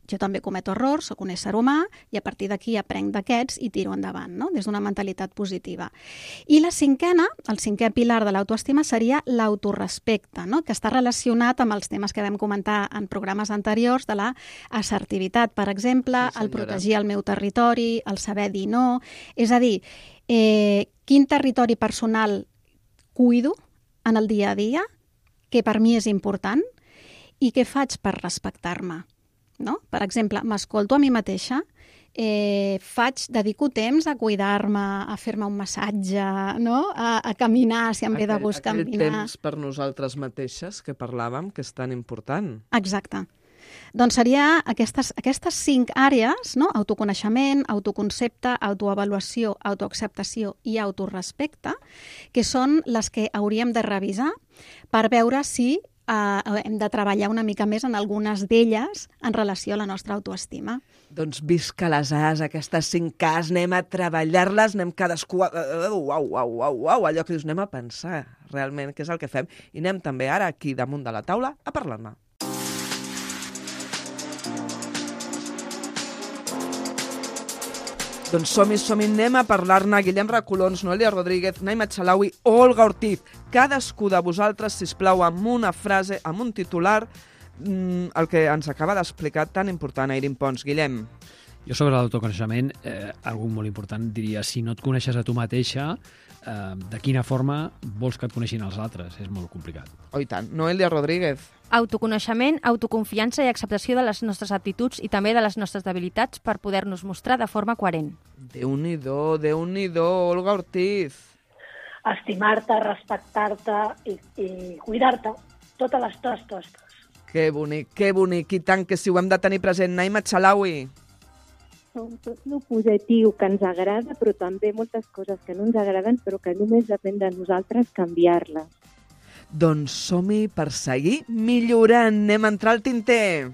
jo també cometo errors, sóc un ésser humà i a partir d'aquí aprenc d'aquests i tiro endavant, no? Des d'una mentalitat positiva. I la cinquena, el cinquè pilar de l'autoestima seria l'autorespecte, no? Que està relacionat amb els temes que vam comentar en programes anteriors de la assertivitat, per exemple, el protegir el meu territori, el saber dir no. És a dir, quin territori personal cuido en el dia a dia, que per mi és important, i què faig per respectar-me. No? Per exemple, m'escolto a mi mateixa, dedico temps a cuidar-me, a fer-me un massatge, no? A caminar, si em ve de gust caminar. Aquell temps per nosaltres mateixes que parlàvem, que és tan important. Exacte. Doncs seria aquestes 5 àrees, no? Autoconeixement, autoconcepte, autoavaluació, autoacceptació i autorespecte, que són les que hauríem de revisar per veure si hem de treballar una mica més en algunes d'elles en relació a la nostra autoestima. Doncs visca les As, aquestes 5 As, anem a treballar-les, anem cadascú allò que dius, anem a pensar realment què és el que fem i anem també ara aquí damunt de la taula a parlar-ne. Doncs som-hi, anem a parlar-ne. Guillem Recolons, Noelia Rodríguez, Naima Chalaui, Olga Ortiz. Cadascú de vosaltres, sisplau, amb una frase, amb un titular, el que ens acaba d'explicar tan important, Airín Pons. Guillem. Jo sobre l'autoconeixement, algú molt important, diria, si no et coneixes a tu mateixa, de quina forma vols que et coneixin els altres? És molt complicat. Oh, i tant. Noelia Rodríguez. Autoconeixement, autoconfiança i acceptació de les nostres aptituds i també de les nostres debilitats per poder-nos mostrar de forma coherent. Déu-n'hi-do, Déu-n'hi-do, Olga Ortiz. Estimar-te, respectar-te i cuidar-te totes les tostes. Que bonic, i tant que si ho hem de tenir present. Naima Chalaui. Tot el positiu que ens agrada, però també moltes coses que no ens agraden, però que només depèn de nosaltres canviar-les. Doncs som-hi per seguir millorant. Anem a entrar al tinter.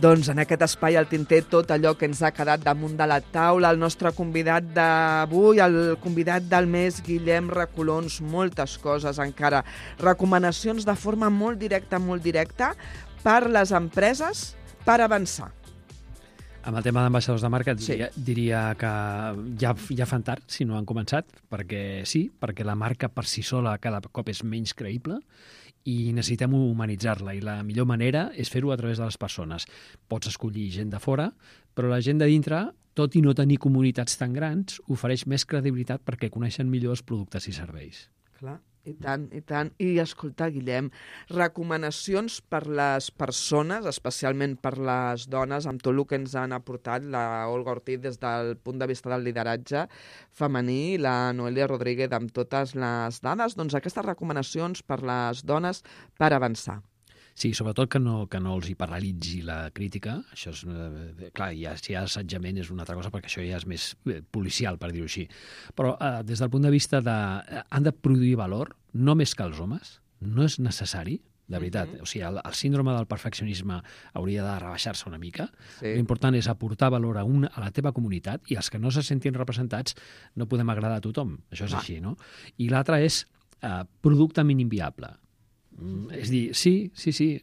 Doncs en aquest espai al tinter tot allò que ens ha quedat damunt de la taula, el nostre convidat d'avui, el convidat del mes, Guillem Recolons, moltes coses encara, recomanacions de forma molt directa per les empreses per avançar. Amb el tema d'ambaixadors de marca diria que ja fan tard si no han començat, perquè la marca per si sola cada cop és menys creïble i necessitem humanitzar-la, i la millor manera és fer-ho a través de les persones. Pots escollir gent de fora, però la gent de dintre, tot i no tenir comunitats tan grans, ofereix més credibilitat perquè coneixen millor els productes i serveis. Clar, i tant, i tant. I escolta, Guillem, recomanacions per les persones, especialment per les dones, amb tot el que ens han aportat la Olga Ortiz des del punt de vista del lideratge femení, la Noelia Rodríguez amb totes les dades, doncs aquestes recomanacions per les dones per avançar. Sí, sobretot que no els hi paralitzi la crítica. Això és, clar, si hi ha assetjament és una altra cosa, perquè això ja és més policial, per dir-ho així. Però des del punt de vista han de produir valor, no més que els homes, no és necessari, de veritat. O sigui, el síndrome del perfeccionisme hauria de rebaixar-se una mica. Sí. L'important és aportar valor a la teva comunitat, i els que no se sentin representats no podem agradar a tothom. Això és així, no? I l'altre és producte mínim viable. És dir, sí,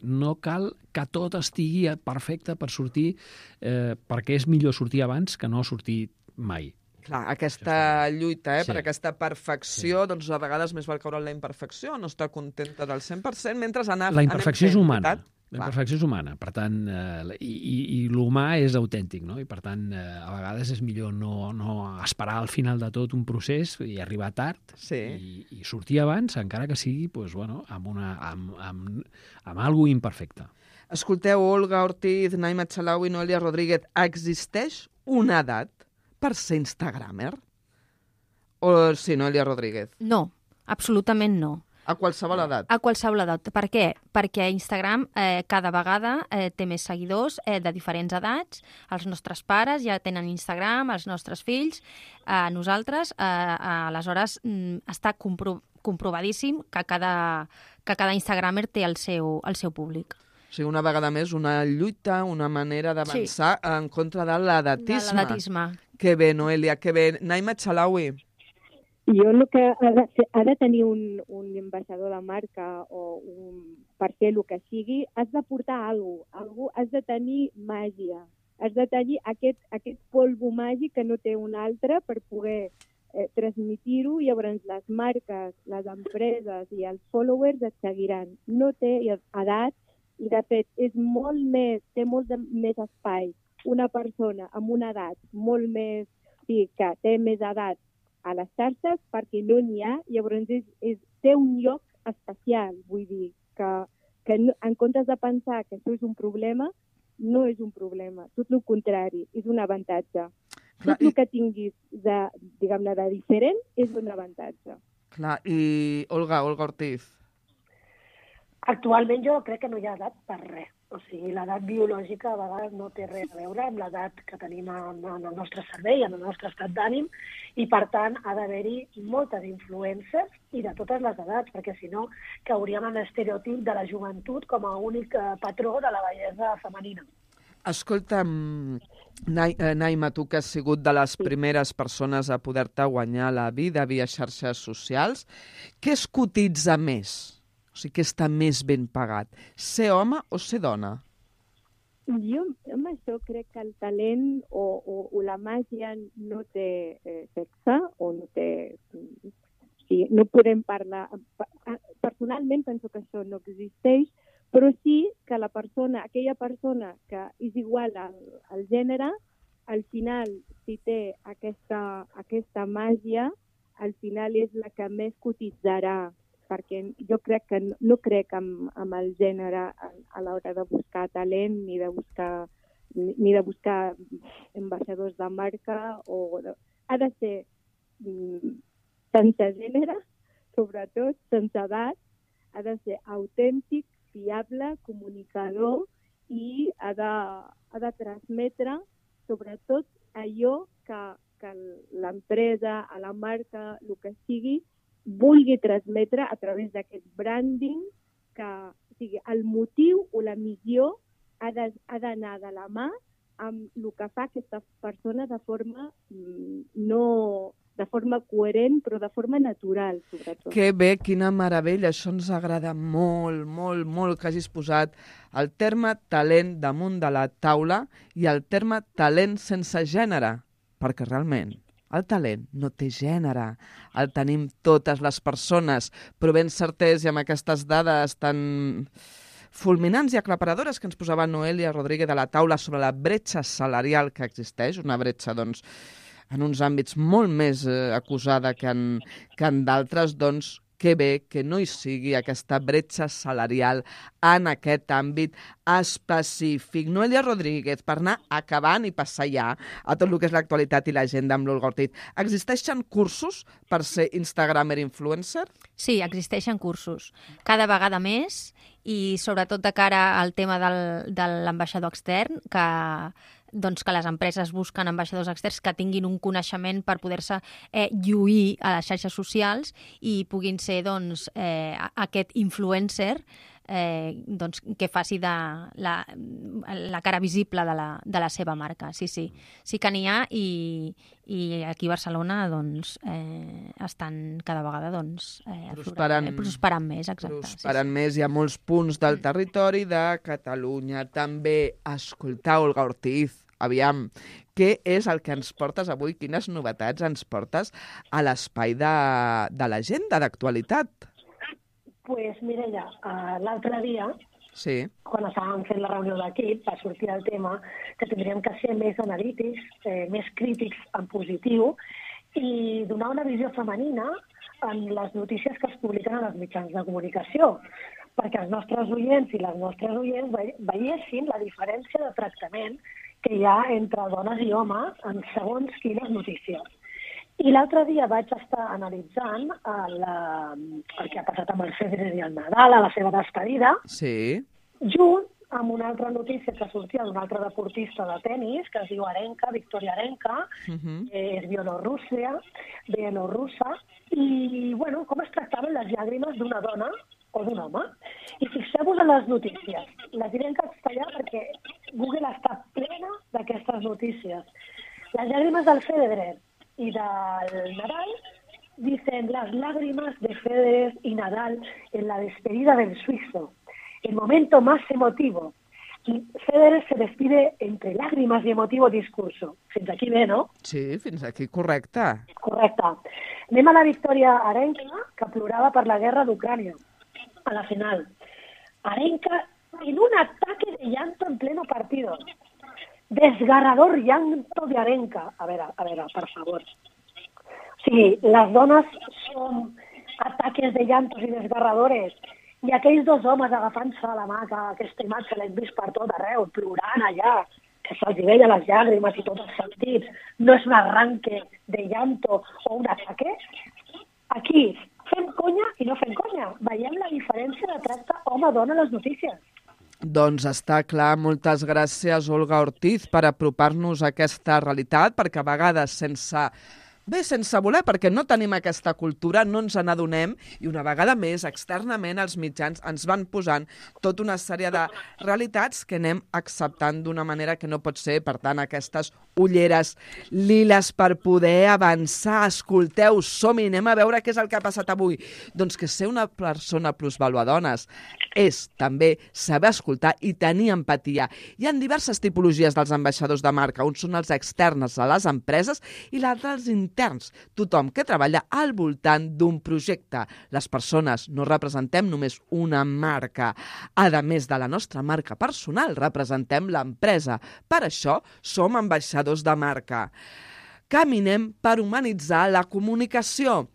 no cal que tot estigui perfecte per sortir, perquè és millor sortir abans que no sortir mai. Clar, aquesta lluita per aquesta perfecció, doncs a vegades més val caure en la imperfecció, no estar contenta del 100%, mentre la imperfecció és humana. La imperfecció és humana, per tant, i l'humà és autèntic, no? I per tant, a vegades és millor no esperar al final de tot un procés i arribar tard i sortir abans, encara que sigui amb algo imperfecte. Escolteu, Olga Ortiz, Naima Chalaui, Noelia Rodríguez, existeix una edat per ser instagramer? O sí, Noelia Rodríguez? No, absolutament no. A qualsevol edat? A qualsevol edat. Per què? Perquè Instagram cada vegada té més seguidors de diferents edats. Els nostres pares ja tenen Instagram, els nostres fills, nosaltres. Aleshores, està comprovadíssim que cada Instagramer té el seu públic. O sigui, una vegada més, una lluita, una manera d'avançar en contra de l'edatisme. De l'edatisme. Que bé, Noelia, que bé. Naima Chalaui. Jo el que ha de tenir un ambaixador de marca o per fer el que sigui, has de portar alguna cosa, has de tenir màgia, has de tenir aquest polvo màgic que no té un altre per poder transmitir-ho, i llavors les marques, les empreses i els followers et seguiran. No té edat, i de fet té molt més espai una persona amb una edat molt més, que té més edat a les xarxes, perquè no n'hi ha, llavors té un lloc especial, vull dir, que en comptes de pensar que això és un problema, no és un problema, tot el contrari, és un avantatge. Tot el que tinguis de diferent és un avantatge. Clar, i Olga Ortiz? Actualment jo crec que no hi ha edat per res. O sigui, l'edat biològica a vegades no té res a veure amb l'edat que tenim en el nostre cervell, en el nostre estat d'ànim, i per tant ha d'haver-hi moltes influències i de totes les edats, perquè si no cauríem en l'estereotip de la joventut com a únic patró de la bellesa femenina. Escolta'm, Naima, tu que has sigut de les primeres persones a poder-te guanyar la vida via xarxes socials, què es cotitza més? O sigui, què està més ben pagat? Ser home o ser dona? Jo amb això crec que el talent o la màgia no té sexe, o no té... Sí, no podem parlar... Personalment penso que això no existeix, però sí que aquella persona que és igual al gènere, al final, si té aquesta màgia, al final és la que més cotitzarà, perquè jo crec que no crec amb el gènere a l'hora de buscar talent ni de buscar ambaixadors de marca. Ha de ser sense gènere, sobretot sense edat, ha de ser autèntic, fiable, comunicador, i ha de transmetre sobretot allò que l'empresa, a la marca, el que sigui, vulgui transmetre a través d'aquest branding, que o sigui, el motiu o la missió ha d'anar de la mà amb el que fa aquesta persona de forma coherent, però de forma natural, sobretot. Que bé, quina meravella, això ens agrada molt, molt, molt que hagis posat el terme talent damunt de la taula i el terme talent sense gènere, perquè realment el talent no té gènere, el tenim totes les persones, però ben certès, i amb aquestes dades tan fulminants i aclaparadores que ens posava Noelia Rodríguez de la taula sobre la bretxa salarial que existeix, una bretxa, doncs, en uns àmbits molt més acusada que en d'altres, doncs, que bé que no hi sigui aquesta bretxa salarial en aquest àmbit específic. Noelia Rodríguez, per anar acabant i passar ja a tot el que és l'actualitat i l'agenda amb l'Olga Ortiz, existeixen cursos per ser Instagramer influencer? Sí, existeixen cursos. Cada vegada més, i sobretot de cara al tema de l'ambaixador extern, que les empreses busquen ambaixadors externs que tinguin un coneixement per poder-se lluir a les xarxes socials i puguin ser aquest influencer doncs, que faci de la cara visible de la seva marca. Sí, sí. Sí que n'hi ha i aquí a Barcelona doncs, estan cada vegada doncs, prosperant més. Exacte. Prosperant més. Hi ha molts punts del territori de Catalunya. També escoltar Olga Ortiz. Aviam, què és el que ens portes avui? Quines novetats ens portes a l'espai de l'agenda d'actualitat? Pues, Mireia, l'altre dia, sí, quan estàvem fent la reunió d'equip, va sortir el tema que tindríem que ser més analítics, més crítics en positiu i donar una visió femenina en les notícies que es publiquen en els mitjans de comunicació, perquè els nostres oients i les nostres oients veiessin la diferència de tractament que hi ha entre dones i homes en segons quines notícies. I l'altre dia vaig estar analitzant el que ha passat amb el Federer i el Nadal, a la seva despedida, sí, junt amb una altra notícia que sortia d'un altre deportista de tennis, que es diu Arenka, Victoria Arenka, és bielorrussa, i bueno, com es tractaven les llàgrimes d'una dona o d'un home. I fixeu-vos en les notícies. Les diré en castellà perquè Google està plena d'aquestes notícies. Les llàgrimes del Federer y del Nadal dicen las lágrimas de Federer y Nadal en la despedida del suizo, el momento más emotivo. Federer se despide entre lágrimas y emotivo discurso. Fins aquí bé, no? Sí, fins aquí correcte. Correcte. Anem a la Victoria Arenka, que plorava per la guerra d'Ucrània, a la final. Arenka en un ataque de llanto en pleno partido. Desgarrador llanto de Arenka. A veure, per favor. O sigui, les dones són ataques de llantos i desgarradores i aquells dos homes agafant-se a la mà, que aquesta imatge l'hem vist per tot arreu, plorant allà, que se'ls veia les llàgrimes i tots els sentits, no és un arranque de llanto o un ataque? Aquí fem conya i no fem conya. Veiem la diferència de tracte home-dona a les notícies. Doncs està clar, moltes gràcies, Olga Ortiz, per apropar-nos a aquesta realitat, perquè a vegades sense voler, perquè no tenim aquesta cultura, no ens n'adonem, i una vegada més, externament, els mitjans ens van posant tota una sèrie de realitats que anem acceptant d'una manera que no pot ser. Per tant, aquestes ulleres liles per poder avançar. Escolteu, som-hi, anem a veure què és el que ha passat avui. Doncs que ser una persona plusvaluadones és també saber escoltar i tenir empatia. Hi ha diverses tipologies dels ambaixadors de marca. Uns són els externs a les empreses i l'altre els interns. Tothom que treballa al voltant d'un projecte. Les persones no representem només una marca. A més de la nostra marca personal, representem l'empresa. Per això som ambaixadors de marca. Caminem per humanitzar la comunicació.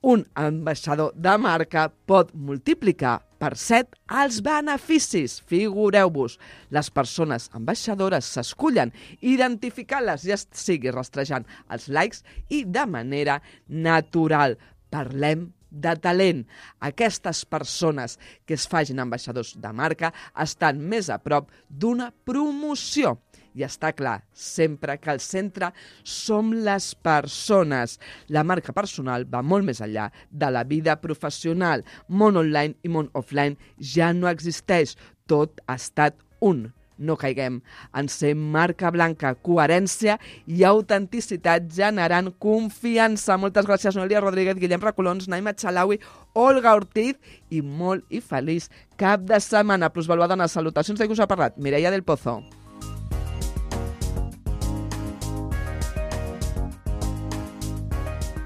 Un ambaixador de marca pot multiplicar per 7 els beneficis. Figureu-vos, les persones ambaixadores s'escullen identificant-les, ja sigui rastrejant els likes i de manera natural. Parlem de talent. Aquestes persones que es facin ambaixadors de marca estan més a prop d'una promoció. I està clar, sempre que al centre som les persones. La marca personal va molt més enllà de la vida professional. Món online i món offline ja no existeix. Tot ha estat un. No caiguem en ser marca blanca, coherència i autenticitat generant confiança. Moltes gràcies, Noelia Rodríguez, Guillem Recolons, Naima Chalaui, Olga Ortiz i molt i feliç cap de setmana. Plusvaluadones, salutacions de qui us ha parlat, Mireia del Pozo.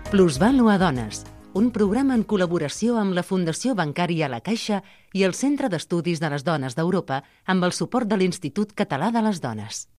Plusvaluadones, un programa en col·laboració amb la Fundació Bancària La Caixa i el Centre d'Estudis de les Dones d'Europa amb el suport de l'Institut Català de les Dones.